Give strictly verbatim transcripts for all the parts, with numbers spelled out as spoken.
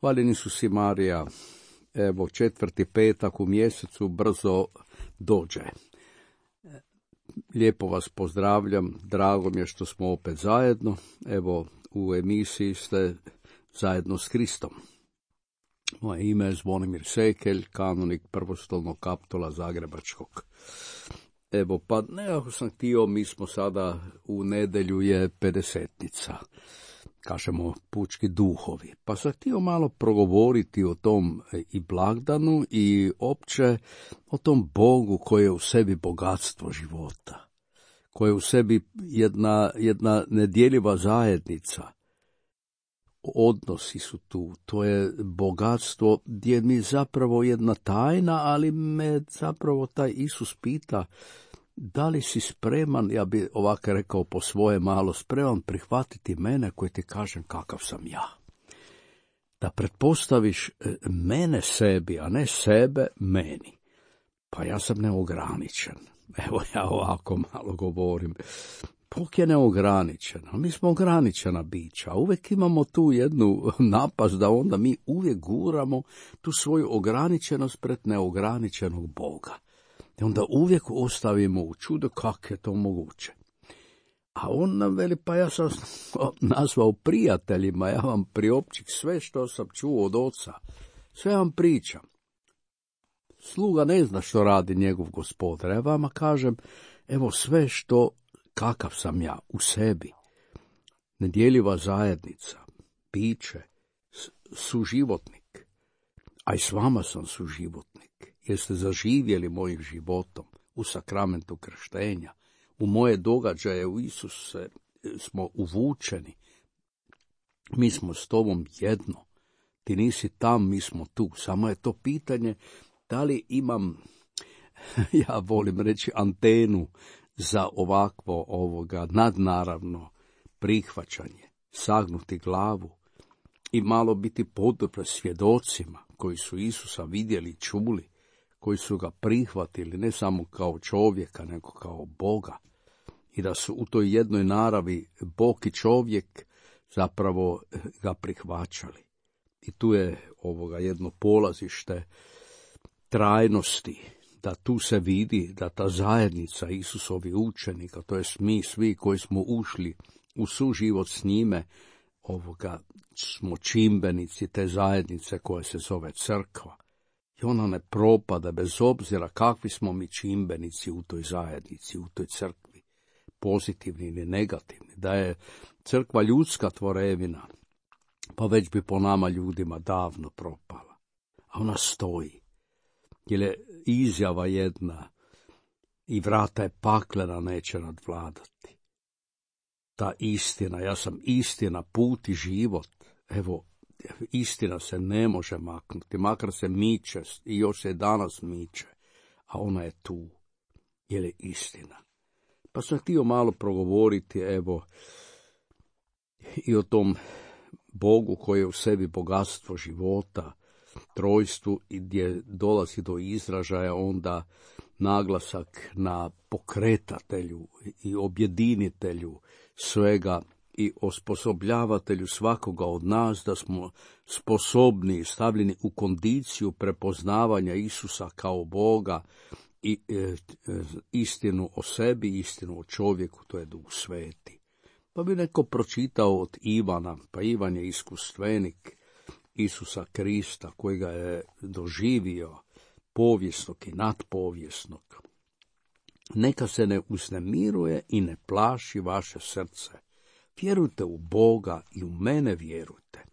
Hvaljeni su si Marija, evo četvrti petak u mjesecu brzo dođe. Lijepo vas pozdravljam, drago mi je što smo opet zajedno, evo u emisiji ste zajedno s Kristom. Moje ime je Zvonimir Sekelj, kanonik prvostolnog kaptola Zagrebačkog. Evo, pa nekako sam htio, mi smo sada u nedjelju je pedesetnica, kažemo pučki duhovi, pa sam htio malo progovoriti o tom i blagdanu i opće o tom Bogu koji je u sebi bogatstvo života, koji je u sebi jedna, jedna nedjeljiva zajednica. Odnosi su tu, to je bogatstvo gdje mi zapravo jedna tajna, ali me zapravo taj Isus pita, da li si spreman, ja bi ovako rekao po svoje malo, spreman prihvatiti mene koji ti kažem kakav sam ja. Da pretpostaviš mene sebi, a ne sebe meni. Pa ja sam neograničen. Evo ja ovako malo govorim. Bog je neograničen, a mi smo ograničena bića. Uvijek imamo tu jednu napast da onda mi uvijek guramo tu svoju ograničenost pred neograničenog Boga. I onda uvijek ostavimo u čudo kako je to moguće. A on nam veli, pa ja sam nazvao prijateljima, ja vam priopćih sve što sam čuo od oca. Sve vam pričam. Sluga ne zna što radi njegov gospodar. Ja vama kažem, evo sve što, kakav sam ja u sebi. Nedjeljiva zajednica, biće, suživotnik. A i s vama sam suživotnik. Jeste zaživjeli mojim životom u sakramentu krštenja, u moje događaje u Isuse smo uvučeni. Mi smo s tobom jedno. Ti nisi tam, mi smo tu. Samo je to pitanje da li imam, ja volim reći, antenu za ovakvo ovoga nadnaravno prihvaćanje, sagnuti glavu i malo biti podobre svjedocima koji su Isusa vidjeli i čuli, koji su ga prihvatili ne samo kao čovjeka, nego kao Boga. I da su u toj jednoj naravi Bog i čovjek zapravo ga prihvaćali. I tu je ovoga jedno polazište trajnosti, da tu se vidi da ta zajednica Isusovi učenika, to je mi svi koji smo ušli u suživot s njime, ovoga smo čimbenici te zajednice koja se zove crkva. I ona ne propada bez obzira kakvi smo mi čimbenici u toj zajednici, u toj crkvi, pozitivni ili negativni. Da je crkva ljudska tvorevina, pa već bi po nama ljudima davno propala. A ona stoji, jer je izjava jedna i vrata je paklena neće nadvladati. Ta istina, ja sam istina, put i život, evo, istina se ne može maknuti, makar se miče i još se danas miče, a ona je tu, jer je istina. Pa sam htio malo progovoriti, evo, i o tom Bogu koji je u sebi bogatstvo života, trojstvu i gdje dolazi do izražaja onda naglasak na pokretatelju i objedinitelju svega i osposobljavatelju svakoga od nas da smo sposobni, stavljeni u kondiciju prepoznavanja Isusa kao Boga i e, e, istinu o sebi, istinu o čovjeku, to je Duh Sveti. Pa bi neko pročitao od Ivana, pa Ivan je iskustvenik Isusa Krista koji ga je doživio povijesnog i nadpovijesnog. Neka se ne uznemiruje i ne plaši vaše srce. Vjerujte u Boga i u mene vjerujte.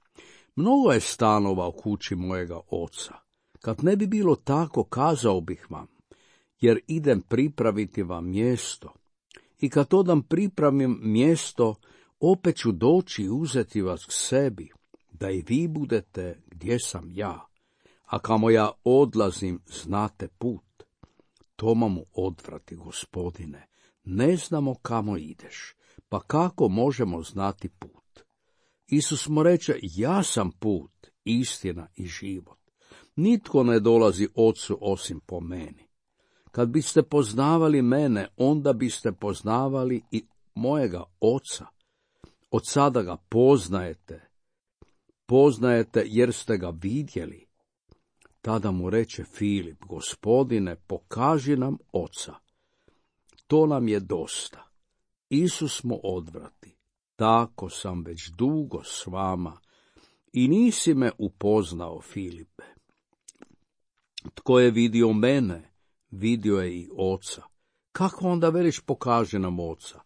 Mnogo je stanova u kući mojega oca. Kad ne bi bilo tako, kazao bih vam, jer idem pripraviti vam mjesto. I kad odam pripravim mjesto, opet ću doći i uzeti vas k sebi, da i vi budete gdje sam ja. A kamo ja odlazim, znate put. Toma mu odvrati, Gospodine, ne znamo kamo ideš, pa kako možemo znati put? Isus mu reče, ja sam put, istina i život. Nitko ne dolazi Ocu osim po meni. Kad biste poznavali mene, onda biste poznavali i mojega Oca. Od sada ga poznajete, poznajete jer ste ga vidjeli. Tada mu reče Filip, Gospodine, pokaži nam Oca. To nam je dosta. Isus mu odvrati, tako sam već dugo s vama i nisi me upoznao, Filipe. Tko je vidio mene, vidio je i Oca. Kako onda veliš pokaži nam Oca?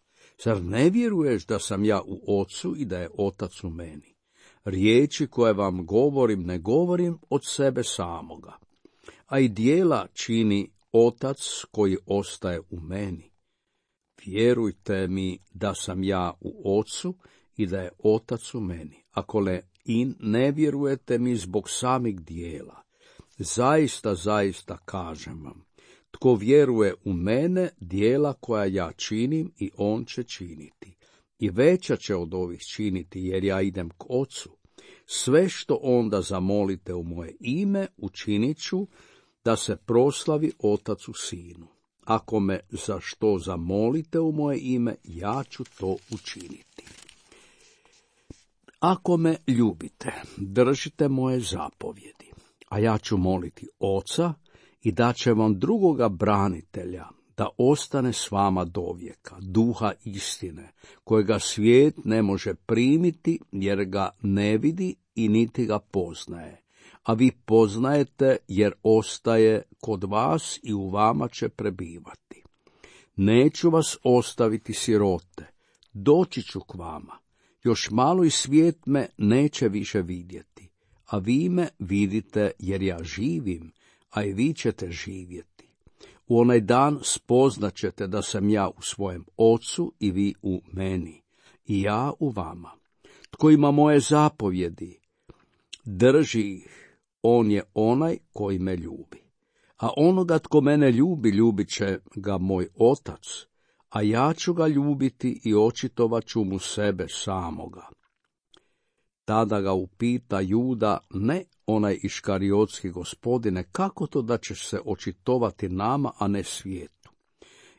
Zar ne vjeruješ da sam ja u Ocu i da je Otac u meni? Riječi koje vam govorim, ne govorim od sebe samoga, a i djela čini Otac koji ostaje u meni. Vjerujte mi da sam ja u Ocu i da je Otac u meni. Ako le i ne vjerujete mi zbog samih djela, zaista, zaista kažem vam, tko vjeruje u mene, djela koja ja činim i on će činiti. I veća će od ovih činiti, jer ja idem k Ocu. Sve što onda zamolite u moje ime, učinit ću, da se proslavi Otac u Sinu. Ako me za što zamolite u moje ime, ja ću to učiniti. Ako me ljubite, držite moje zapovjedi, a ja ću moliti Oca i daće vam drugoga branitelja, da ostane s vama dovijeka, duha istine, kojega svijet ne može primiti, jer ga ne vidi i niti ga poznaje. A vi poznajete, jer ostaje kod vas i u vama će prebivati. Neću vas ostaviti sirote, doći ću k vama. Još malo i svijet me neće više vidjeti, a vi me vidite, jer ja živim, a i vi ćete živjeti. U onaj dan spoznaćete da sam ja u svojem Ocu i vi u meni, i ja u vama. Tko ima moje zapovjedi, drži ih, on je onaj koji me ljubi. A onoga tko mene ljubi, ljubit će ga moj Otac, a ja ću ga ljubiti i očitovat ću mu sebe samoga. Tada ga upita Juda, ne onaj iškariotski, Gospodine, kako to da ćeš se očitovati nama, a ne svijetu?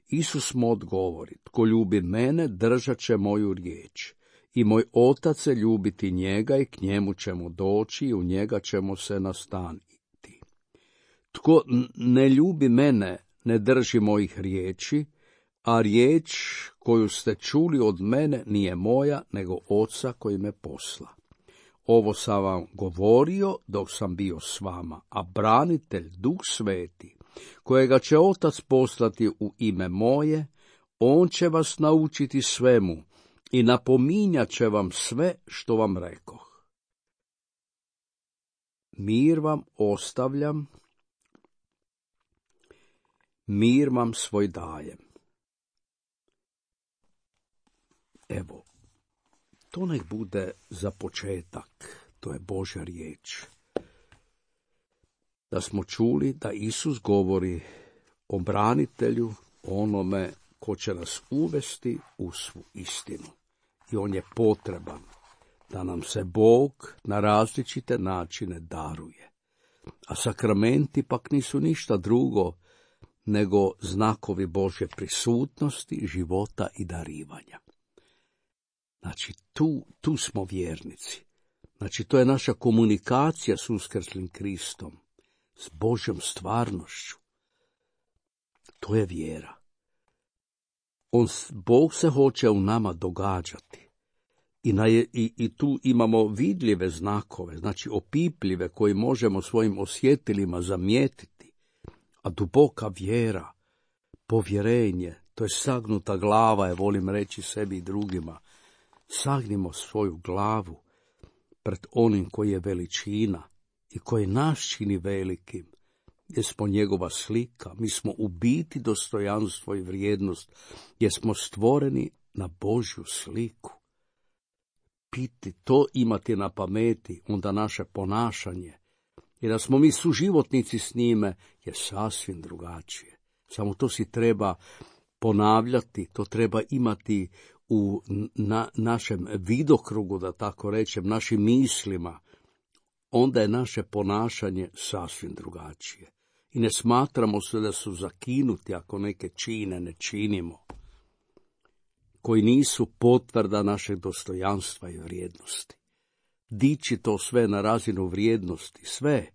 Isus mu odgovori, tko ljubi mene, držat će moju riječ. I moj Otac će ljubiti njega i k njemu ćemo doći i u njega ćemo se nastaniti. Tko ne ljubi mene, ne drži mojih riječi, a riječ koju ste čuli od mene nije moja, nego Oca koji me posla. Ovo sam vam govorio dok sam bio s vama, a branitelj, Duh Sveti, kojega će Otac poslati u ime moje, on će vas naučiti svemu i napominjat će vam sve što vam rekoh. Mir vam ostavljam, mir vam svoj dajem. Evo, to nek bude za početak, to je Božja riječ. Da smo čuli da Isus govori o branitelju, onome ko će nas uvesti u svu istinu. I on je potreban da nam se Bog na različite načine daruje. A sakramenti pak nisu ništa drugo nego znakovi Božje prisutnosti, života i darivanja. Znači, tu, tu smo vjernici. Znači, to je naša komunikacija s uskrslim Kristom, s Božjom stvarnošću. To je vjera. On, Bog se hoće u nama događati. I, na, i, I tu imamo vidljive znakove, znači opipljive, koji možemo svojim osjetilima zamijetiti. A duboka vjera, povjerenje, to je sagnuta glava, je volim reći sebi i drugima. Sagnimo svoju glavu pred onim koji je veličina i koji nas čini velikim, jer smo njegova slika, mi smo u biti dostojanstvo i vrijednost, jer smo stvoreni na Božju sliku. Piti to, imati na pameti, onda naše ponašanje, jer da smo mi suživotnici s njime, je sasvim drugačije. Samo to si treba ponavljati, to treba imati u na, našem vidokrugu, da tako rečem, našim mislima, onda je naše ponašanje sasvim drugačije. I ne smatramo se da su zakinuti ako neke čine ne činimo, koji nisu potvrda našeg dostojanstva i vrijednosti. dići to sve na razinu vrijednosti, sve,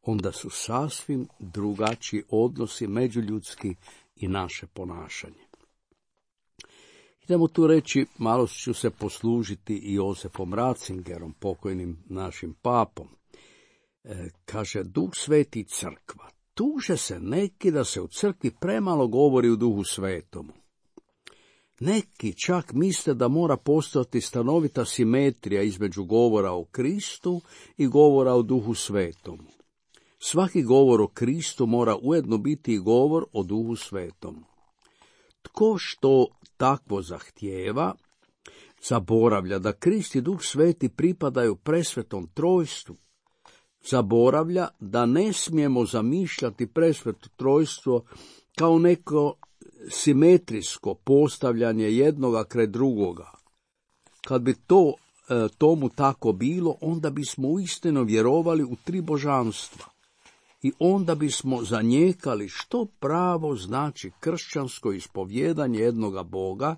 onda su sasvim drugačiji odnosi međuljudski i naše ponašanje. Idemo tu reći, malo ću se poslužiti i Josefom Ratzingerom, pokojnim našim papom. E, kaže, Duh Sveti crkva. Tuže se neki da se u crkvi premalo govori u Duhu Svetomu. Neki čak misle da mora postojati stanovita simetrija između govora o Kristu i govora o Duhu Svetomu. Svaki govor o Kristu mora ujedno biti i govor o Duhu Svetomu. Tko što takvo zahtijeva, zaboravlja da Krist i Duh Sveti pripadaju presvetom trojstvu. Zaboravlja da ne smijemo zamišljati presveto trojstvo kao neko simetrijsko postavljanje jednoga kraj drugoga. Kad bi to e, tomu tako bilo, onda bismo uistinu vjerovali u tri božanstva. I onda bismo zanijekali što pravo znači kršćansko ispovjedanje jednoga Boga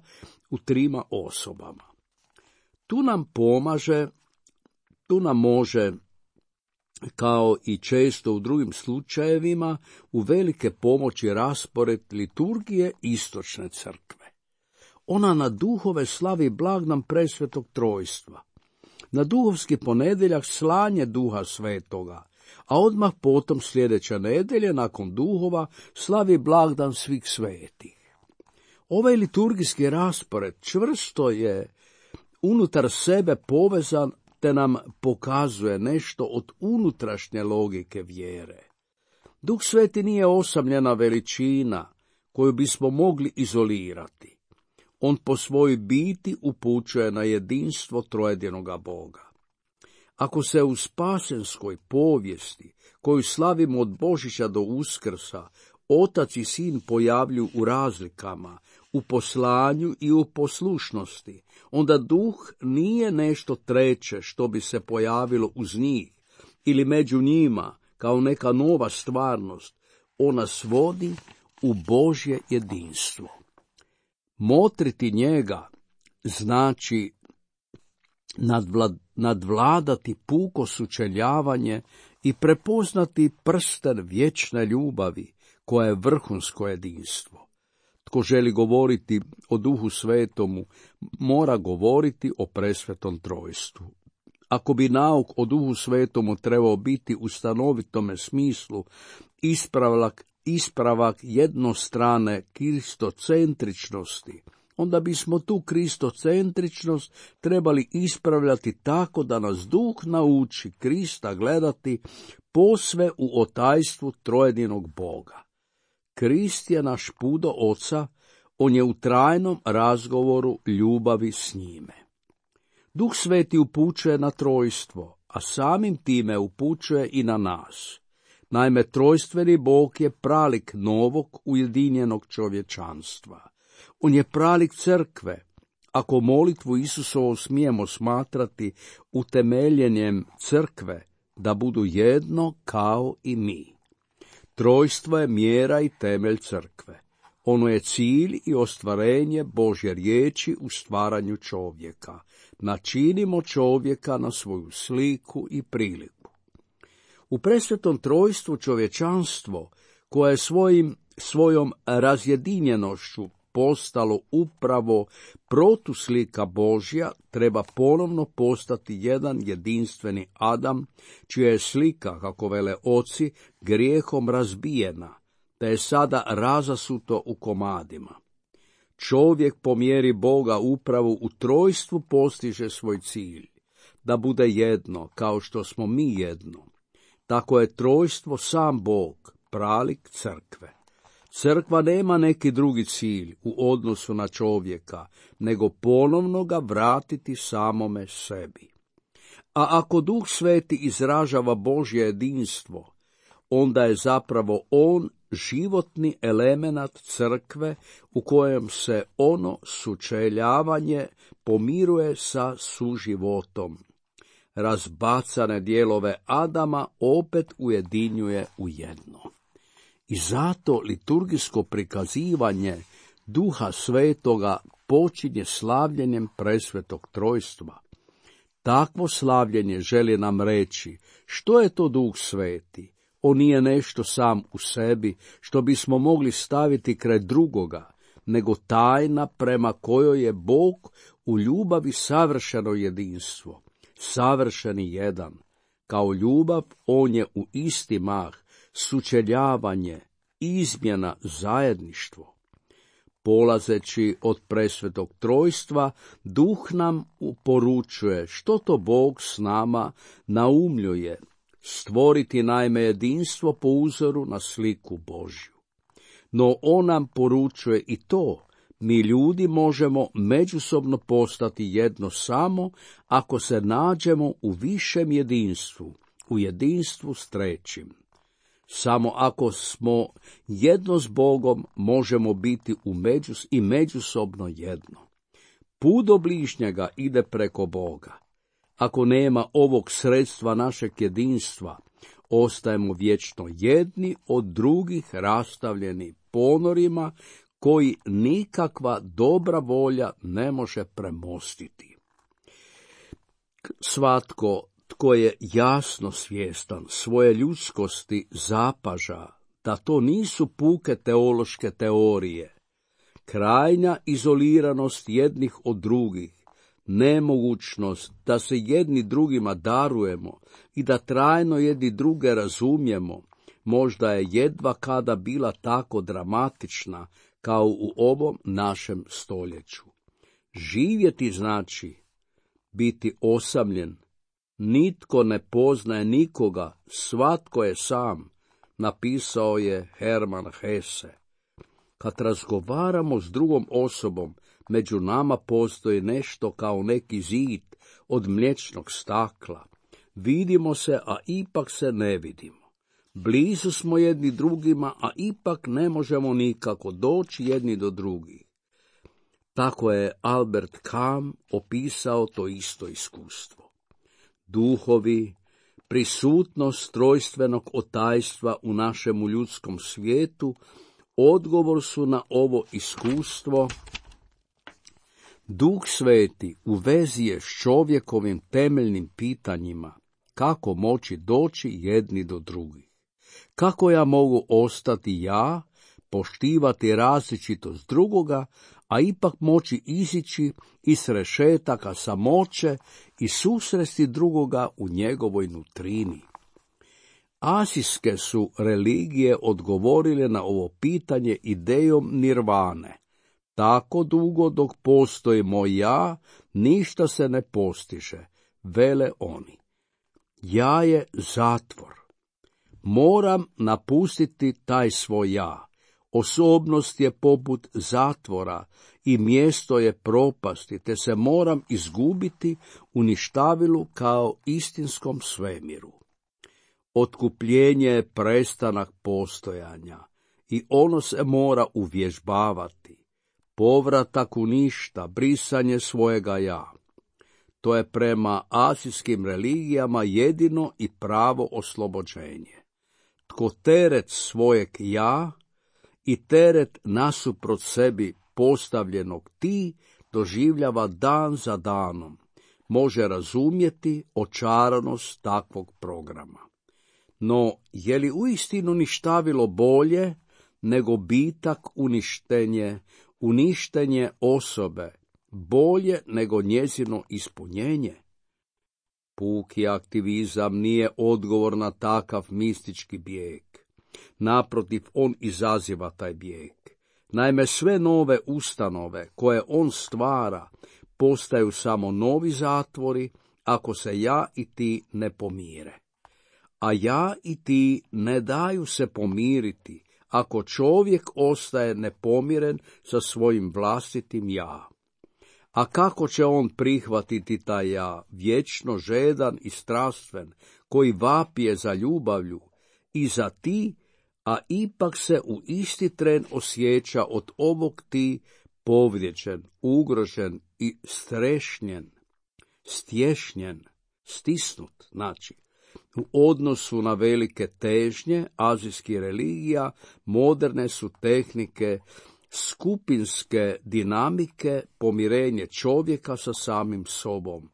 u trima osobama. Tu nam pomaže, tu nam može, kao i često u drugim slučajevima, u velike pomoći raspored liturgije istočne crkve. Ona na duhove slavi blagdan presvetog trojstva. Na duhovski ponedjeljak slanje Duha Svetoga, a odmah potom sljedeća nedjelja nakon duhova slavi blagdan svih svetih. Ovaj liturgijski raspored čvrsto je unutar sebe povezan te nam pokazuje nešto od unutrašnje logike vjere. Duh Sveti nije osamljena veličina koju bismo mogli izolirati. On po svojoj biti upućuje na jedinstvo trojedinoga Boga. Ako se u spasenskoj povijesti, koju slavimo od Božića do Uskrsa, Otac i Sin pojavljuju u razlikama, u poslanju i u poslušnosti, onda Duh nije nešto treće što bi se pojavilo uz njih ili među njima kao neka nova stvarnost. Ona svodi u Božje jedinstvo. Motriti njega znači nadvla, nadvladati puko sučeljavanje i prepoznati prsten vječne ljubavi koja je vrhunsko jedinstvo. Tko želi govoriti o Duhu Svetomu, mora govoriti o presvetom trojstvu. Ako bi nauk o Duhu Svetomu trebao biti u stanovitome smislu ispravak, ispravak jednostrane kristocentričnosti, onda bismo tu kristocentričnost trebali ispravljati tako da nas Duh nauči Krista gledati posve u otajstvu trojedinog Boga. Krist je naš put do Oca, on je u trajnom razgovoru ljubavi s njime. Duh Sveti upućuje na trojstvo, a samim time upućuje i na nas. Naime, trojstveni Bog je pralik novog ujedinjenog čovječanstva. On je pralik crkve. Ako molitvu Isusovu smijemo smatrati utemeljenjem crkve, da budu jedno kao i mi. Trojstvo je mjera i temelj crkve. Ono je cilj i ostvarenje Božje riječi u stvaranju čovjeka. Načinimo čovjeka na svoju sliku i priliku. U presvetom trojstvu čovječanstvo, koje je svojim, svojom razjedinjenošću postalo upravo protuslika Božja, treba ponovno postati jedan jedinstveni Adam, čija je slika, kako vele oci, grijehom razbijena, te je sada razasuto u komadima. Čovjek po mjeri Boga upravo u trojstvu postiže svoj cilj, da bude jedno, kao što smo mi jedno. Tako je trojstvo sam Bog, pralik crkve. Crkva nema neki drugi cilj u odnosu na čovjeka, nego ponovno ga vratiti samome sebi. A ako Duh Sveti izražava Božje jedinstvo, onda je zapravo on životni elemenat crkve u kojem se ono sučeljavanje pomiruje sa suživotom. Razbacane dijelove Adama opet ujedinjuje u jedno. I zato liturgijsko prikazivanje Duha Svetoga počinje slavljenjem presvetog trojstva. Takvo slavljenje želi nam reći što je to Duh Sveti. On nije nešto sam u sebi što bismo mogli staviti kraj drugoga, nego tajna prema kojoj je Bog u ljubavi savršeno jedinstvo, savršeni jedan. Kao ljubav on je u isti mah, sučeljavanje, izmjena, zajedništvo. Polazeći od presvetog trojstva, Duh nam poručuje što to Bog s nama naumljuje, stvoriti naime jedinstvo po uzoru na sliku Božju. No on nam poručuje i to, mi ljudi možemo međusobno postati jedno samo ako se nađemo u višem jedinstvu, u jedinstvu s trećim. Samo ako smo jedno s Bogom možemo biti u međus i međusobno jedno. Put do bližnjega ide preko Boga. Ako nema ovog sredstva našeg jedinstva, ostajemo vječno jedni od drugih rastavljeni ponorima koji nikakva dobra volja ne može premostiti. Svatko tko je jasno svjestan svoje ljudskosti zapaža da to nisu puke teološke teorije, krajnja izoliranost jednih od drugih, nemogućnost da se jedni drugima darujemo i da trajno jedni druge razumijemo, možda je jedva kada bila tako dramatična kao u ovom našem stoljeću. Živjeti znači biti osamljen. Nitko ne poznaje nikoga, svatko je sam, napisao je Hermann Hesse. Kad razgovaramo s drugom osobom, među nama postoji nešto kao neki zid od mliječnog stakla. Vidimo se, a ipak se ne vidimo. Blizu smo jedni drugima, a ipak ne možemo nikako doći jedni do drugih. Tako je Albert Camus opisao to isto iskustvo. Duhovi, prisutnost trojstvenog otajstva u našemu ljudskom svijetu, odgovor su na ovo iskustvo. Duh Sveti u vezi je s čovjekovim temeljnim pitanjima, kako moći doći jedni do drugih. Kako ja mogu ostati ja, poštivati različitost drugoga, a ipak moći izići iz rešetaka samoće i susresti drugoga u njegovoj nutrini. Asijske su religije odgovorile na ovo pitanje idejom nirvane. Tako dugo dok postoji moj ja, ništa se ne postiže, vele oni. Ja je zatvor. Moram napustiti taj svoj ja. Osobnost je poput zatvora i mjesto je propasti, te se moram izgubiti u ništavilu kao istinskom svemiru. Otkupljenje je prestanak postojanja i ono se mora uvježbavati. Povratak u ništa, brisanje svojega ja. To je prema asijskim religijama jedino i pravo oslobođenje. Tko teret svojeg ja i teret nasuprot sebi postavljenog ti doživljava dan za danom, može razumjeti očaranost takvog programa. No, je li uistinu ništavilo bolje nego bitak uništenje, uništenje osobe, bolje nego njezino ispunjenje? Puki aktivizam nije odgovor na takav mistički bijeg. Naprotiv, on izaziva taj bijeg. Naime, sve nove ustanove koje on stvara postaju samo novi zatvori ako se ja i ti ne pomire. A ja i ti ne daju se pomiriti ako čovjek ostaje nepomiren sa svojim vlastitim ja. A kako će on prihvatiti taj ja, vječno žedan i strastven, koji vapije za ljubavlju i za ti, a ipak se u isti tren osjeća od ovog ti povrijeđen, ugrožen i strešnjen, stješnjen, stisnut, znači. U odnosu na velike težnje azijskih religija, moderne su tehnike skupinske dinamike, pomirenje čovjeka sa samim sobom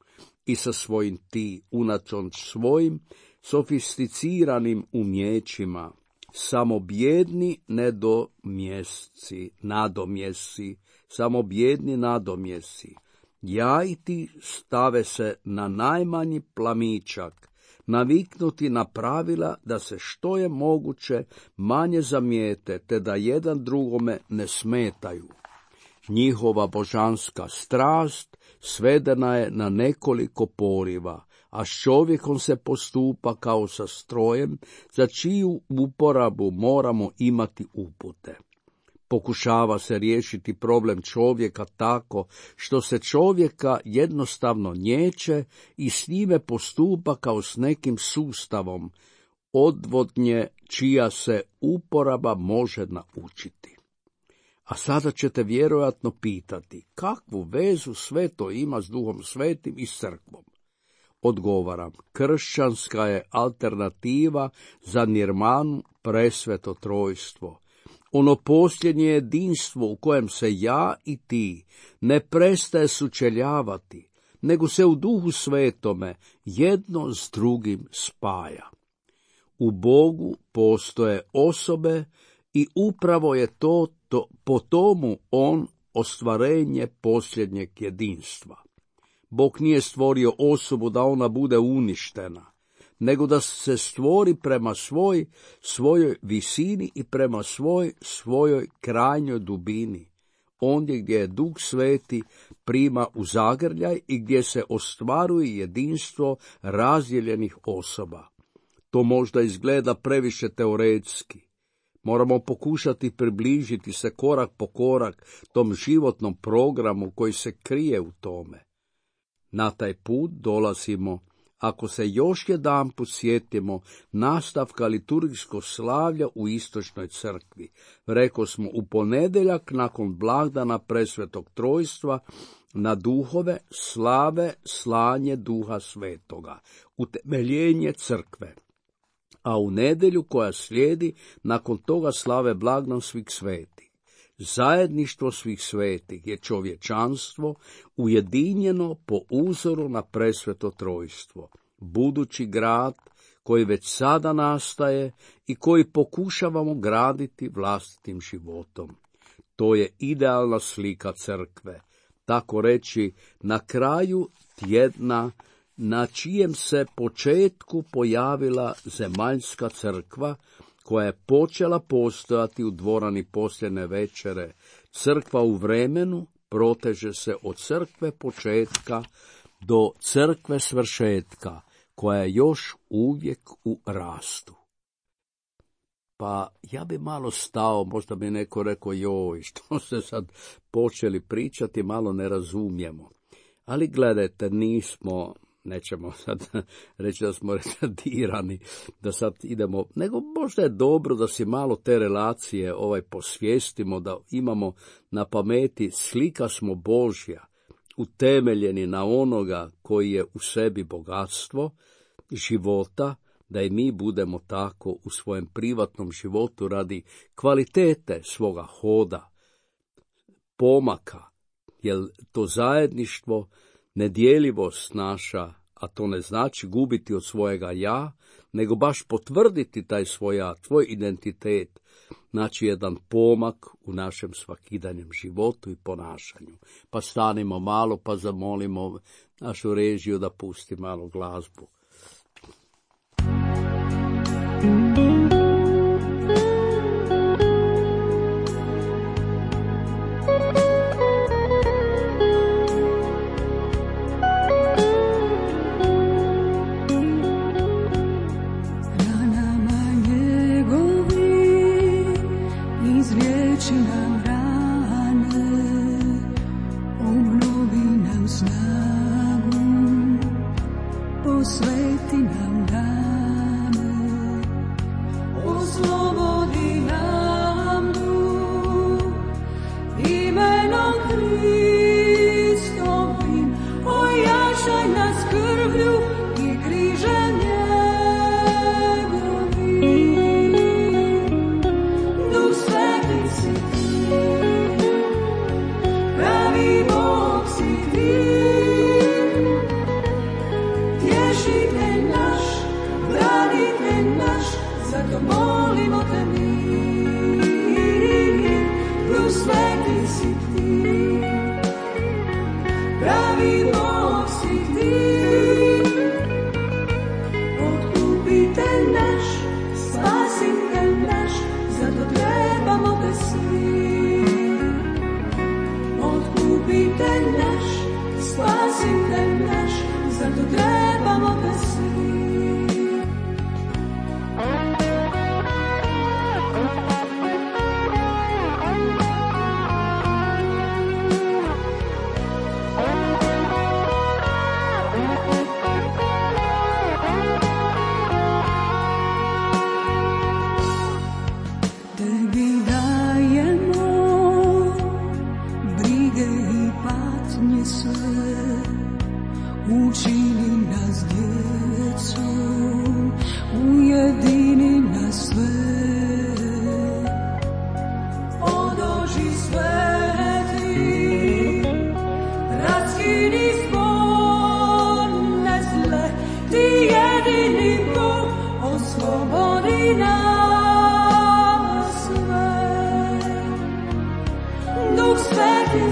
i sa svojim ti, unatoč svojim sofisticiranim umjećima, samo bjedni nedomjesci, nadomjesi, samo bjedni nadomjesi. Ja i ti stave se na najmanji plamičak, naviknuti na pravila da se što je moguće manje zamijete, te da jedan drugome ne smetaju. Njihova božanska strast svedena je na nekoliko poriva, a s čovjekom se postupa kao sa strojem, za čiju uporabu moramo imati upute. Pokušava se riješiti problem čovjeka tako što se čovjeka jednostavno nječe i s njime postupa kao s nekim sustavom odvodnje čija se uporaba može naučiti. A sada ćete vjerojatno pitati, kakvu vezu sve to ima s Duhom Svetim i s crkvom? Odgovaram, kršćanska je alternativa za nirmanu presveto trojstvo. Ono posljednje jedinstvo u kojem se ja i ti ne prestaje sučeljavati, nego se u Duhu Svetome jedno s drugim spaja. U Bogu postoje osobe i upravo je to, to po tomu on ostvarenje posljednjeg jedinstva. Bog nije stvorio osobu da ona bude uništena, nego da se stvori prema svoj, svojoj visini i prema svoj, svojoj krajnjoj dubini, ondje gdje je Duh Sveti prima u zagrljaj i gdje se ostvaruje jedinstvo razdjeljenih osoba. To možda izgleda previše teoretski. Moramo pokušati približiti se korak po korak tom životnom programu koji se krije u tome. Na taj put dolazimo, ako se još jedanput sjetimo nastavka liturgijskog slavlja u istočnoj crkvi. Reko smo u ponedjeljak nakon blagdana presvetog trojstva na duhove slave slanje Duha Svetoga, utemeljenje crkve. A u nedjelju koja slijedi nakon toga slave blagdan svih svetih. Zajedništvo svih svetih je čovječanstvo ujedinjeno po uzoru na presveto trojstvo, budući grad koji već sada nastaje i koji pokušavamo graditi vlastitim životom. To je idealna slika crkve, tako reći na kraju tjedna na čijem se početku pojavila zemaljska crkva, koja je počela postojati u dvorani posljednje večere. Crkva u vremenu proteže se od crkve početka do crkve svršetka, koja je još uvijek u rastu. Pa ja bi malo stao, možda bi neko rekao, joj, što ste sad počeli pričati, malo ne razumijemo. Ali gledajte, nismo... Nećemo sad reći da smo retardirani, da sad idemo, nego možda je dobro da si malo te relacije ovaj posvijestimo, da imamo na pameti slika smo Božja, utemeljeni na onoga koji je u sebi bogatstvo života, da i mi budemo tako u svojem privatnom životu radi kvalitete svoga hoda, pomaka, jer to zajedništvo, nedjeljivost naša, a to ne znači gubiti od svojega ja, nego baš potvrditi taj svoj ja, tvoj identitet, znači jedan pomak u našem svakidanjem životu i ponašanju. Pa stanimo malo, pa zamolimo našu režiju da pusti malo glazbu. Sve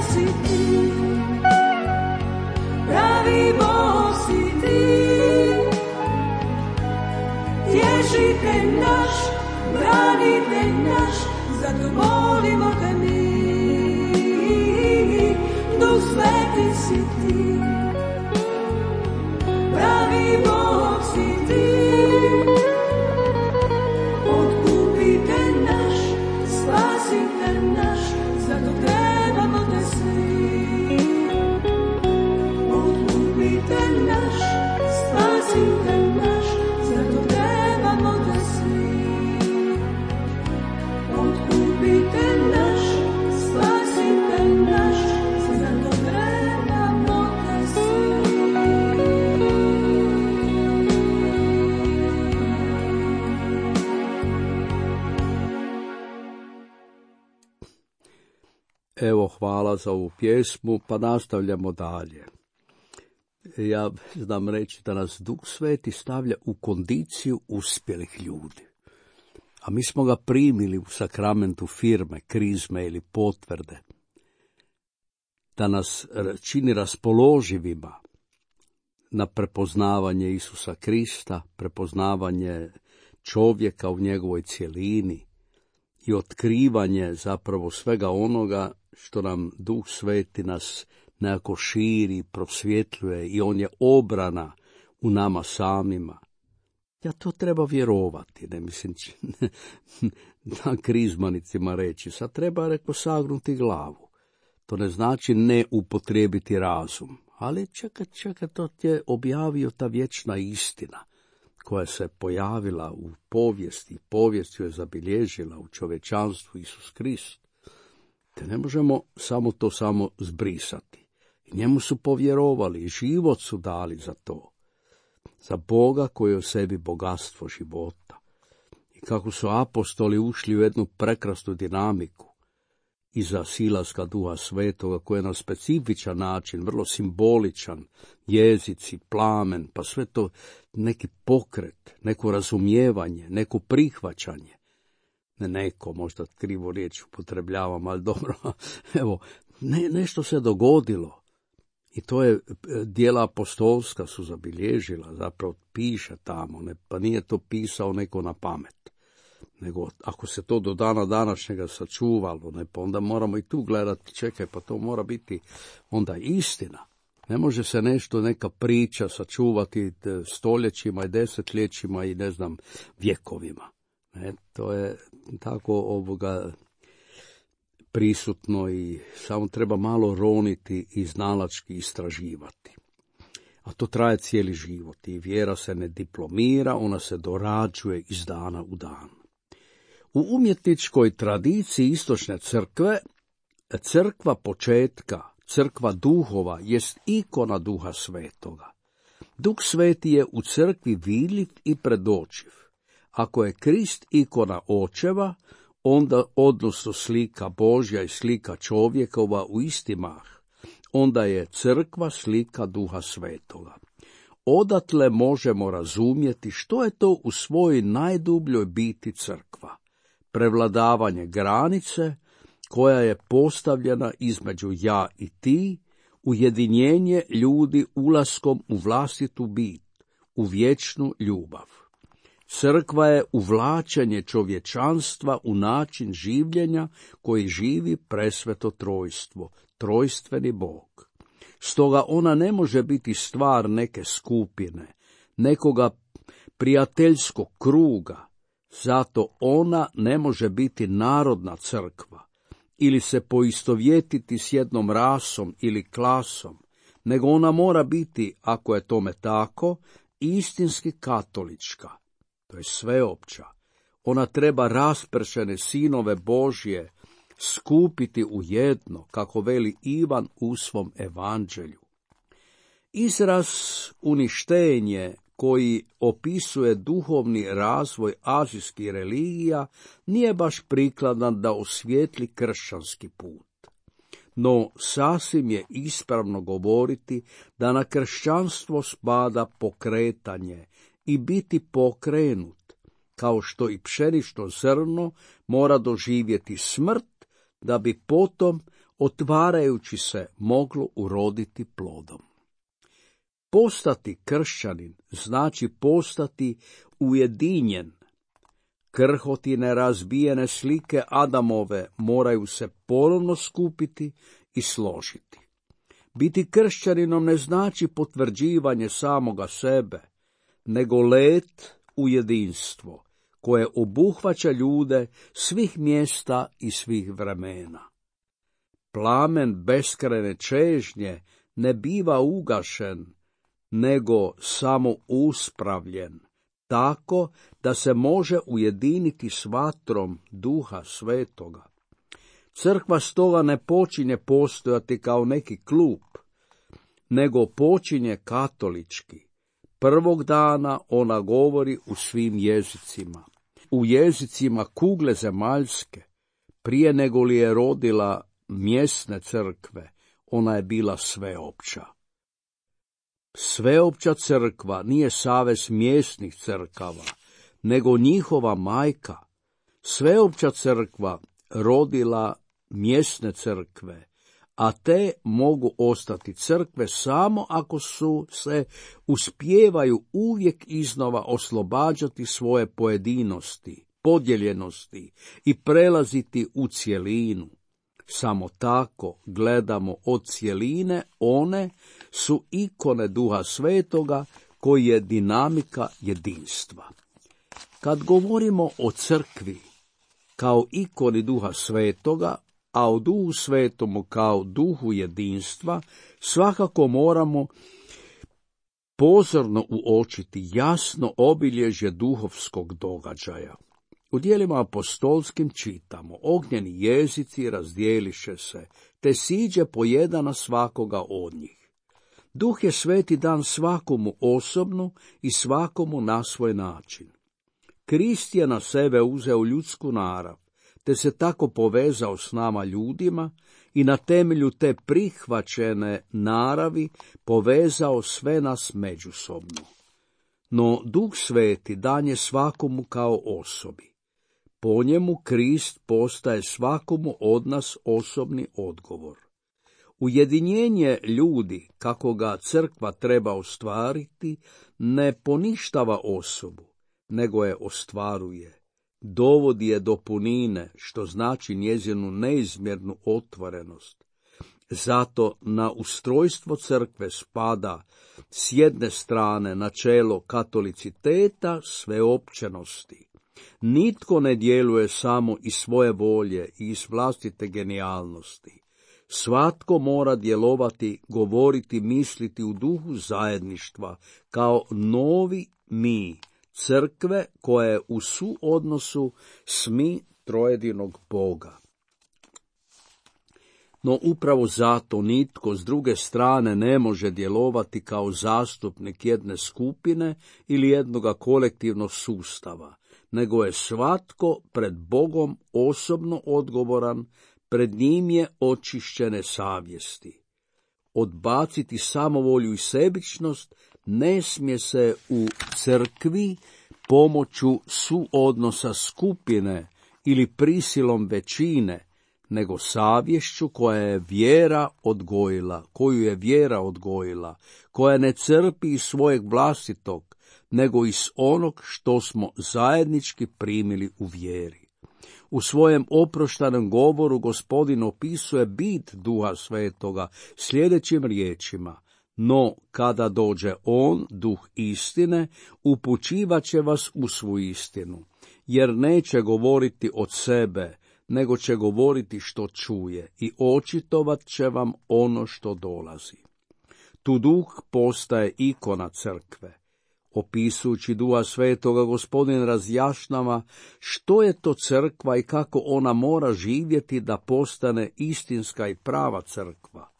sveti si ti, pravi Bog si ti, tješitelj naš, branitelj naš, zato molimo te mi. Duh sveti si ti, pravi Bog si ti, otkupitelj naš, spasitelj naš, zato trebamo te svi. Otkupitelj naš, spasitelj naš, zato trebamo te svi. Otkupitelj naš, spasitelj naš, zato trebamo te svi. Evo, hvala za ovu pjesmu, pa nastavljamo dalje. Ja znam reći da nas Duh Sveti stavlja u kondiciju uspjelih ljudi. A mi smo ga primili u sakramentu firme, krizme ili potvrde. Da nas čini raspoloživima na prepoznavanje Isusa Krista, prepoznavanje čovjeka u njegovoj cjelini i otkrivanje zapravo svega onoga što nam Duh Sveti nas nekako širi, prosvjetljuje i on je obrana u nama samima. Ja to treba vjerovati, ne mislim na krizmanicima reći. Sad treba, reko, sagnuti glavu. To ne znači ne upotrijebiti razum, ali čekaj, čekaj, to ti je objavio ta vječna istina koja se pojavila u povijesti, povijest ju je zabilježila u čovječanstvu Isus Krist. Te ne možemo samo to samo zbrisati. I njemu su povjerovali i život su dali za to. Za Boga koji je u sebi bogatstvo života. I kako su apostoli ušli u jednu prekrasnu dinamiku iza silaska Duha Svetoga, koji je na specifičan način, vrlo simboličan, jezici, plamen, pa sve to neki pokret, neko razumijevanje, neko prihvaćanje. Ne neko, možda krivo riječ upotrebljavam, ali dobro, evo, ne, nešto se dogodilo. I to je djela apostolska su zabilježila, zapravo piše tamo, ne, pa nije to pisao neko na pamet. Nego ako se to do dana današnjega sačuvalo, ne, pa onda moramo i tu gledati, čekaj, pa to mora biti onda istina. Ne može se nešto, neka priča sačuvati stoljećima i desetljećima i ne znam, vjekovima. Ne, to je tako ovoga prisutno i samo treba malo roniti i znalački istraživati. A to traje cijeli život i vjera se ne diplomira, ona se dorađuje iz dana u dan. U umjetničkoj tradiciji istočne crkve, crkva početka, crkva duhova, jest ikona Duha Svetoga. Duh Sveti je u crkvi vidljiv i predočiv. Ako je Krist ikona očeva, onda odnosno slika Božja i slika čovjekova u isti mah, onda je crkva slika Duha Svetoga. Odatle možemo razumjeti što je to u svojoj najdubljoj biti crkva. Prevladavanje granice koja je postavljena između ja i ti, ujedinjenje ljudi ulaskom u vlastitu bit, u vječnu ljubav. Crkva je uvlačenje čovječanstva u način življenja koji živi presveto trojstvo, trojstveni Bog. Stoga ona ne može biti stvar neke skupine, nekoga prijateljskog kruga, zato ona ne može biti narodna crkva ili se poistovjetiti s jednom rasom ili klasom, nego ona mora biti, ako je tome tako, istinski katolička. To je sveopća. Ona treba raspršene sinove Božje skupiti u jedno, kako veli Ivan u svom evanđelju. Izraz uništenje koji opisuje duhovni razvoj azijskih religija nije baš prikladan da osvijetli kršćanski put. No sasvim je ispravno govoriti da na kršćanstvo spada pokretanje i biti pokrenut, kao što i pšenično zrno mora doživjeti smrt, da bi potom otvarajući se moglo uroditi plodom. Postati kršćanin znači postati ujedinjen. Krhotine razbijene slike Adamove moraju se ponovno skupiti i složiti. Biti kršćaninom ne znači potvrđivanje samoga sebe, nego let u jedinstvo, koje obuhvaća ljude svih mjesta i svih vremena. Plamen beskrajne čežnje ne biva ugašen, nego samo uspravljen, tako da se može ujediniti s vatrom Duha Svetoga. Crkva stoga ne počinje postojati kao neki klub, nego počinje katolički. Prvog dana ona govori u svim jezicima, u jezicima kugle zemaljske. Prije nego li je rodila mjesne crkve, ona je bila sveopća. Sveopća crkva nije savez mjesnih crkava, nego njihova majka. Sveopća crkva rodila mjesne crkve, a te mogu ostati crkve samo ako su se uspijevaju uvijek iznova oslobađati svoje pojedinosti, podijeljenosti i prelaziti u cjelinu. Samo tako gledamo od cjeline, one su ikone Duha Svetoga koji je dinamika jedinstva. Kad govorimo o crkvi kao ikoni Duha Svetoga, a o Duhu Svetomu kao duhu jedinstva, svakako moramo pozorno uočiti jasno obilježje duhovskog događaja. U djelima apostolskim čitamo: ognjeni jezici razdijeliše se, te siđe po jedan na svakoga od njih. Duh je Sveti dan svakomu osobno i svakomu na svoj način. Krist je na sebe uzeo ljudsku narav, te se tako povezao s nama ljudima i na temelju te prihvaćene naravi povezao sve nas međusobno. No Duh Sveti dan je svakomu kao osobi. Po njemu Krist postaje svakomu od nas osobni odgovor. Ujedinjenje ljudi, kako ga crkva treba ostvariti, ne poništava osobu, nego je ostvaruje. Dovodi je do punine, što znači njezinu neizmjernu otvorenost. Zato na ustrojstvo crkve spada s jedne strane načelo katoliciteta sveopćenosti. Nitko ne djeluje samo iz svoje volje i iz vlastite genijalnosti. Svatko mora djelovati, govoriti, misliti u duhu zajedništva, kao novi mi, crkve koja je u suodnosu s mi trojedinog Boga. No upravo zato nitko s druge strane ne može djelovati kao zastupnik jedne skupine ili jednoga kolektivnog sustava, nego je svatko pred Bogom osobno odgovoran, pred njim je očišćene savjesti. Odbaciti samovolju i sebičnost ne smije se u crkvi pomoću suodnosa skupine ili prisilom većine, nego savješću koja je vjera odgojila, koju je vjera odgojila, koja ne crpi iz svojeg vlastitog, nego iz onog što smo zajednički primili u vjeri. U svojem oproštanom govoru Gospodin opisuje bit Duha Svetoga sljedećim riječima: no kada dođe on, Duh istine, upućivat će vas u svu istinu, jer neće govoriti od sebe, nego će govoriti što čuje i očitovat će vam ono što dolazi. Tu Duh postaje ikona crkve. Opisujući Duha Svetoga, Gospodin razjašnjava što je to crkva i kako ona mora živjeti da postane istinska i prava crkva.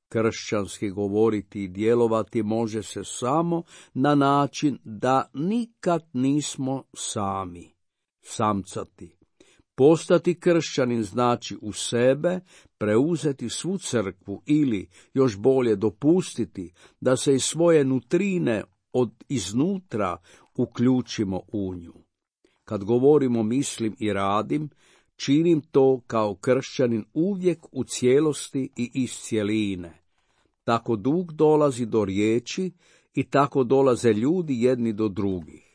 Kršćanski govoriti i djelovati može se samo na način da nikad nismo sami, samcati. Postati kršćanin znači u sebe preuzeti svu crkvu ili, još bolje, dopustiti da se iz svoje nutrine od iznutra uključimo u nju. Kad govorimo mislim i radim, činim to kao kršćanin uvijek u cijelosti i iz cjeline. Tako duh dolazi do riječi i tako dolaze ljudi jedni do drugih.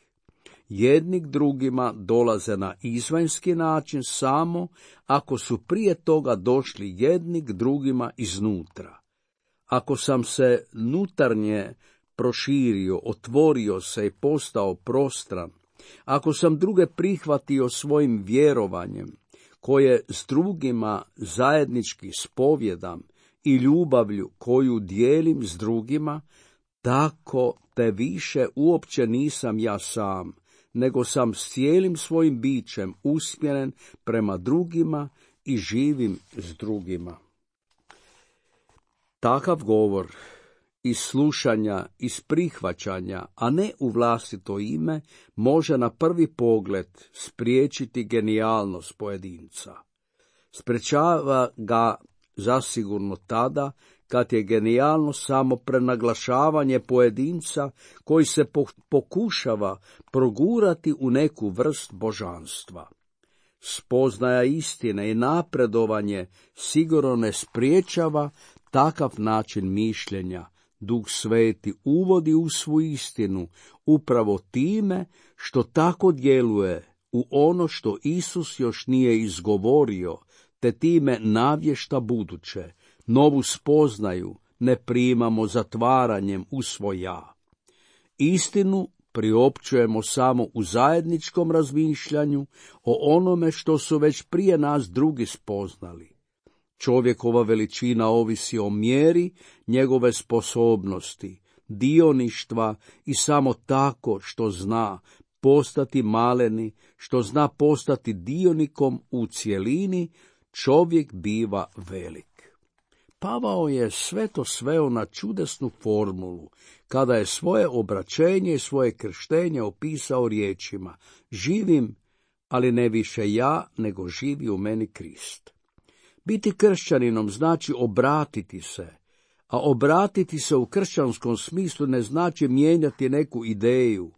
Jedni k drugima dolaze na izvanjski način samo ako su prije toga došli jedni k drugima iznutra. Ako sam se nutarnje proširio, otvorio se i postao prostran, ako sam druge prihvatio svojim vjerovanjem, koje s drugima zajednički spovjedam i ljubavlju koju dijelim s drugima, tako te više uopće nisam ja sam, nego sam s cijelim svojim bićem usmjeren prema drugima i živim s drugima. Takav govor iz slušanja, iz prihvaćanja, a ne u vlastito ime, može na prvi pogled spriječiti genijalnost pojedinca. Sprečava ga zasigurno tada kad je genijalnost samo prenaglašavanje pojedinca koji se pokušava progurati u neku vrst božanstva. Spoznaja istine i napredovanje sigurno ne spriječava takav način mišljenja. Duh Sveti uvodi u svu istinu upravo time što tako djeluje u ono što Isus još nije izgovorio, te time navješta buduće. Novu spoznaju ne primamo zatvaranjem u svoj ja. Istinu priopćujemo samo u zajedničkom razmišljanju o onome što su već prije nas drugi spoznali. Čovjekova veličina ovisi o mjeri njegove sposobnosti, dioništva i samo tako što zna postati maleni, što zna postati dionikom u cjelini, čovjek biva velik. Pavao je sve to sveo na čudesnu formulu, kada je svoje obraćenje i svoje krštenje opisao riječima: živim, ali ne više ja, nego živi u meni Krist. Biti kršćaninom znači obratiti se, a obratiti se u kršćanskom smislu ne znači mijenjati neku ideju,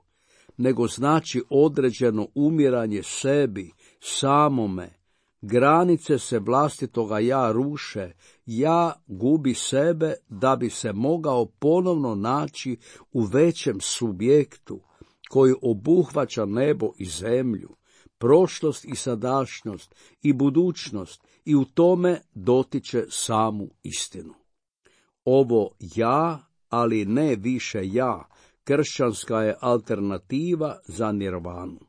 nego znači određeno umiranje sebi, samome. Granice se vlastitoga ja ruše, ja gubi sebe da bi se mogao ponovno naći u većem subjektu koji obuhvaća nebo i zemlju, prošlost i sadašnjost i budućnost i u tome dotiče samu istinu. Ovo ja, ali ne više ja, kršćanska je alternativa za nirvanu.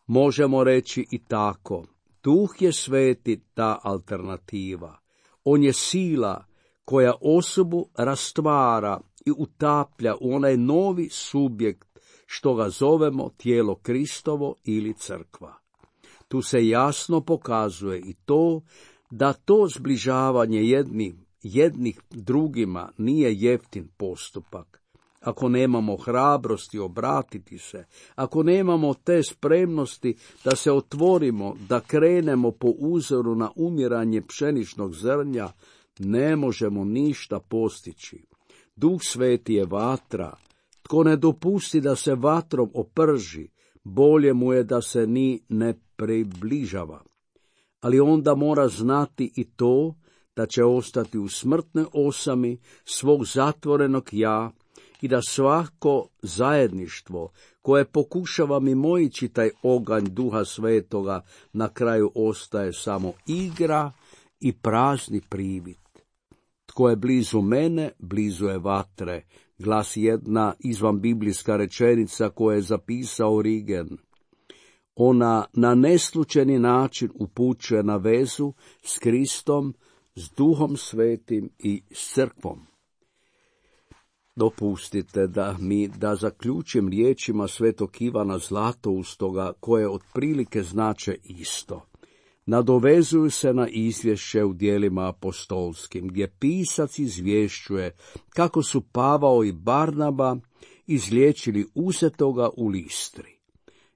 Možemo reći i tako: Duh je Sveti ta alternativa. On je sila koja osobu rastvara i utaplja u onaj novi subjekt što ga zovemo tijelo Kristovo ili crkva. Tu se jasno pokazuje i to da to zbližavanje jednih, jednih drugima nije jeftin postupak. Ako nemamo hrabrosti obratiti se, ako nemamo te spremnosti da se otvorimo, da krenemo po uzoru na umiranje pšeničnog zrnja, ne možemo ništa postići. Duh Sveti je vatra. Tko ne dopusti da se vatrom oprži, bolje mu je da se ni ne približava. Ali onda mora znati i to da će ostati u smrtnoj osami svog zatvorenog ja i da svako zajedništvo koje pokušava mimoići taj oganj Duha Svetoga na kraju ostaje samo igra i prazni privid. Tko je blizu mene, blizu je vatre, glasi jedna izvanbiblijska rečenica koju je zapisao Origen. Ona na neslučajni način upućuje na vezu s Kristom, s Duhom Svetim i s crkvom. Dopustite da mi da zaključim riječima svetog Ivana Zlatoustoga, koje otprilike znače isto. Nadovezuju se na izvješće u djelima apostolskim, gdje pisac izvješćuje kako su Pavao i Barnaba izliječili uzetoga u Listri.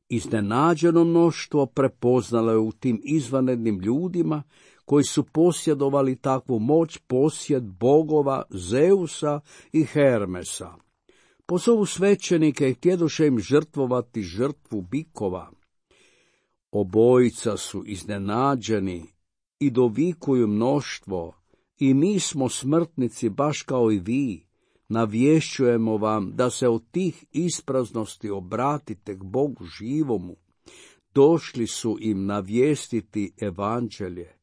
Iznenađeno mnoštvo prepoznalo je u tim izvanrednim ljudima koji su posjedovali takvu moć posjed bogova Zeusa i Hermesa. Pozovu svećenike i htjedoše im žrtvovati žrtvu bikova. Obojica su iznenađeni i dovikuju mnoštvo, i mi smo smrtnici baš kao i vi. Navješćujemo vam da se od tih ispraznosti obratite k Bogu živomu. Došli su im navijestiti evanđelje.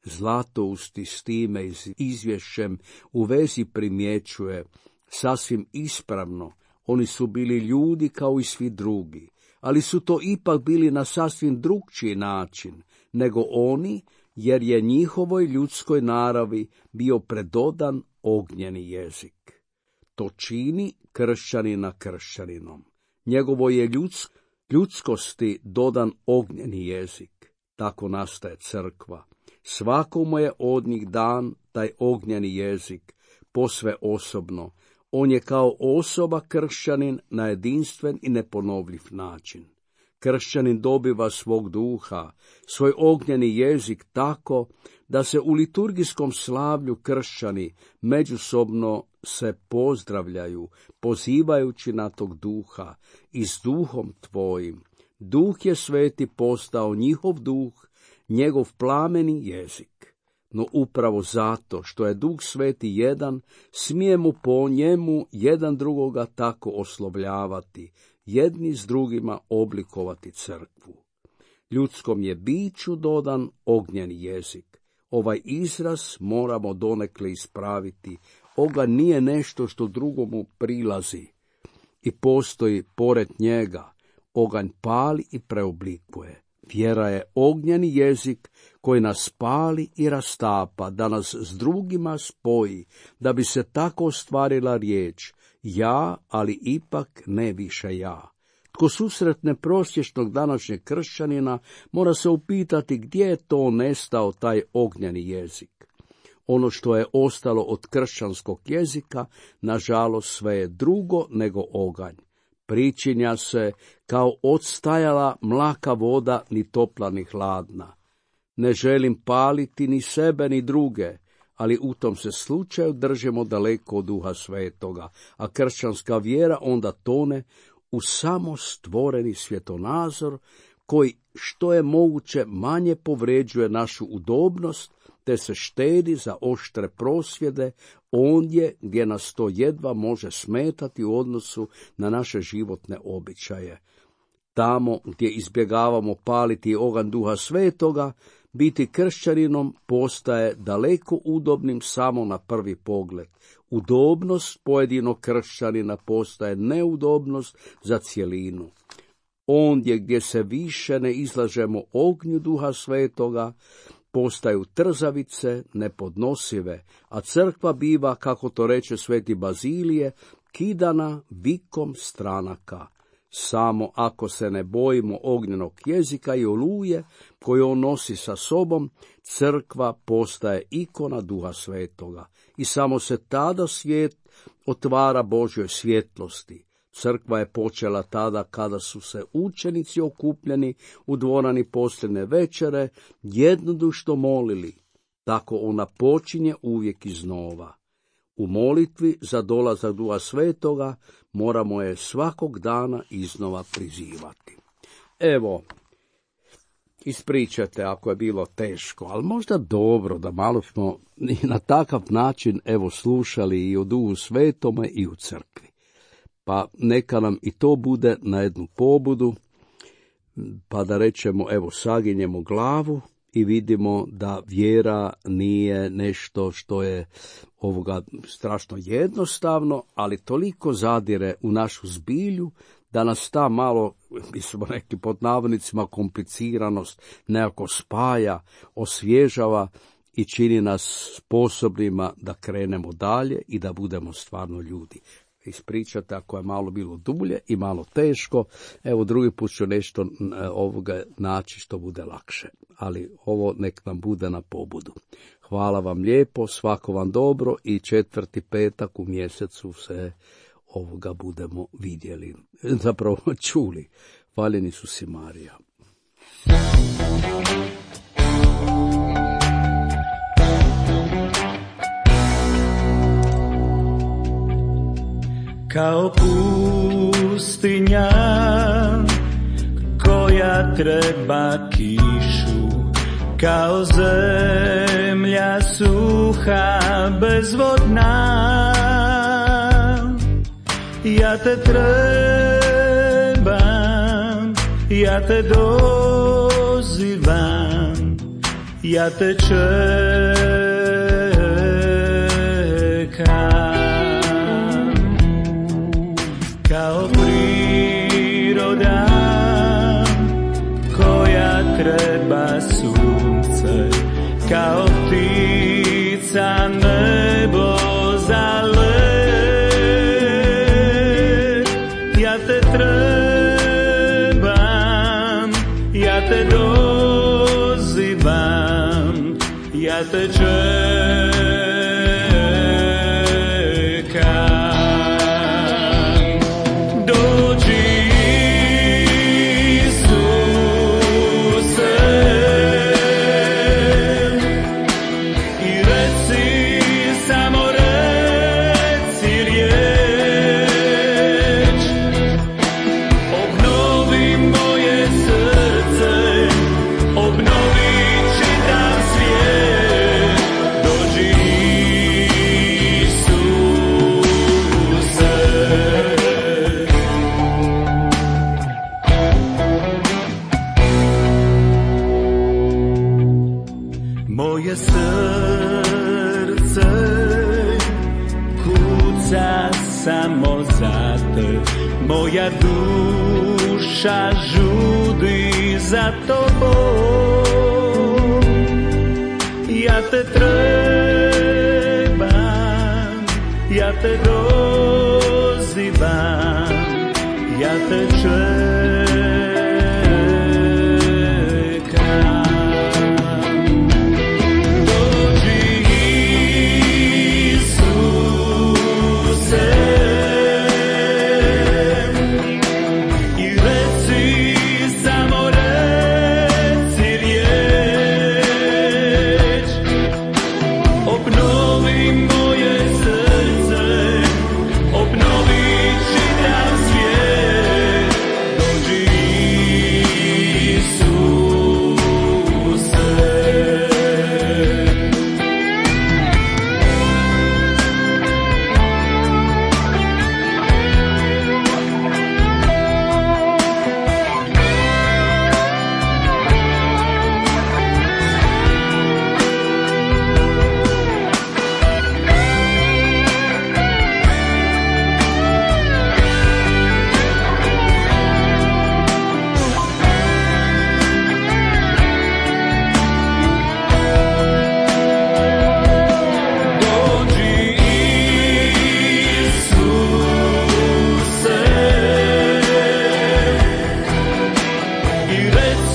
Zlatousti s time izvješćem u vezi primjećuje sasvim ispravno. Oni su bili ljudi kao i svi drugi, ali su to ipak bili na sasvim drukčiji način nego oni, jer je njihovoj ljudskoj naravi bio predodan ognjeni jezik. To čini kršćanina kršćaninom. Njegovo je ljudsk, ljudskosti dodan ognjeni jezik. Tako nastaje crkva. Svakomu je od njih dan taj ognjeni jezik, posve osobno. On je kao osoba kršćanin na jedinstven i neponovljiv način. Kršćanin dobiva svog duha, svoj ognjeni jezik tako da se u liturgijskom slavlju kršćani međusobno se pozdravljaju, pozivajući na tog duha i s duhom tvojim. Duh je sveti postao njihov duh, njegov plameni jezik. No upravo zato što je Duh Sveti jedan, smijemo po njemu jedan drugoga tako oslovljavati, jedni s drugima oblikovati crkvu. Ljudskom je biću dodan ognjeni jezik. Ovaj izraz moramo donekle ispraviti. Oganj nije nešto što drugomu prilazi i postoji pored njega. Oganj pali i preoblikuje. Vjera je ognjeni jezik koji nas pali i rastapa, da nas s drugima spoji, da bi se tako ostvarila riječ ja, ali ipak ne više ja. Tko susretne prosječnog današnjeg kršćanina, mora se upitati gdje je to nestao taj ognjeni jezik. Ono što je ostalo od kršćanskog jezika, nažalost sve je drugo nego oganj. Pričinja se kao odstajala mlaka voda, ni topla ni hladna. Ne želim paliti ni sebe ni druge, ali u tom se slučaju držimo daleko od Duha Svetoga, a kršćanska vjera onda tone u samo stvoreni svjetonazor koji što je moguće manje povređuje našu udobnost, te se štedi za oštre prosvjede ondje gdje nas to jedva može smetati u odnosu na naše životne običaje. Tamo gdje izbjegavamo paliti oganj Duha Svetoga, biti kršćaninom postaje daleko udobnim samo na prvi pogled. Udobnost pojedinog kršćanina postaje neudobnost za cjelinu. Ondje gdje se više ne izlažemo ognju Duha Svetoga, postaju trzavice nepodnosive, a crkva biva, kako to reče sveti Bazilije, kidana vikom stranaka. Samo ako se ne bojimo ognjenog jezika i oluje koju on nosi sa sobom, crkva postaje ikona Duha Svetoga i samo se tada svijet otvara Božjoj svjetlosti. Crkva je počela tada kada su se učenici okupljeni u dvorani posljednje večere jednodušno molili. Tako ona počinje uvijek iznova. U molitvi za dolazak Duha Svetoga moramo je svakog dana iznova prizivati. Evo, ispričajte ako je bilo teško, ali možda dobro da malo smo na takav način evo slušali i o Duhu Svetome i u crkvi. Pa neka nam i to bude na jednu pobudu, pa da rečemo, evo, saginjemo glavu i vidimo da vjera nije nešto što je ovoga strašno jednostavno, ali toliko zadire u našu zbilju da nas ta malo, mi smo rekli pod navodnicima, kompliciranost nekako spaja, osvježava i čini nas sposobnima da krenemo dalje i da budemo stvarno ljudi. Ispričate ako je malo bilo dublje i malo teško, evo drugi put ću nešto ovoga naći što bude lakše, ali ovo nek nam bude na pobudu. Hvala vam lijepo, svako vam dobro i četvrti petak u mjesecu se ovoga budemo vidjeli, zapravo čuli. Hvaljeni su si Marija. Kao pustinja koja koja treba kišu, kao zemlja suha bezvodna. Ja te trebam, ja te dozivam, ja te čekam. Kao priroda koja treba sunce, kao ptica nebo za let. Ja te trebam, ja te dozivam, ja te čekam. Moje srce kuca samo za te, moja duša žudi za tobom. Ja te trebam, ja te dozivam, ja te čekam.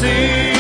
See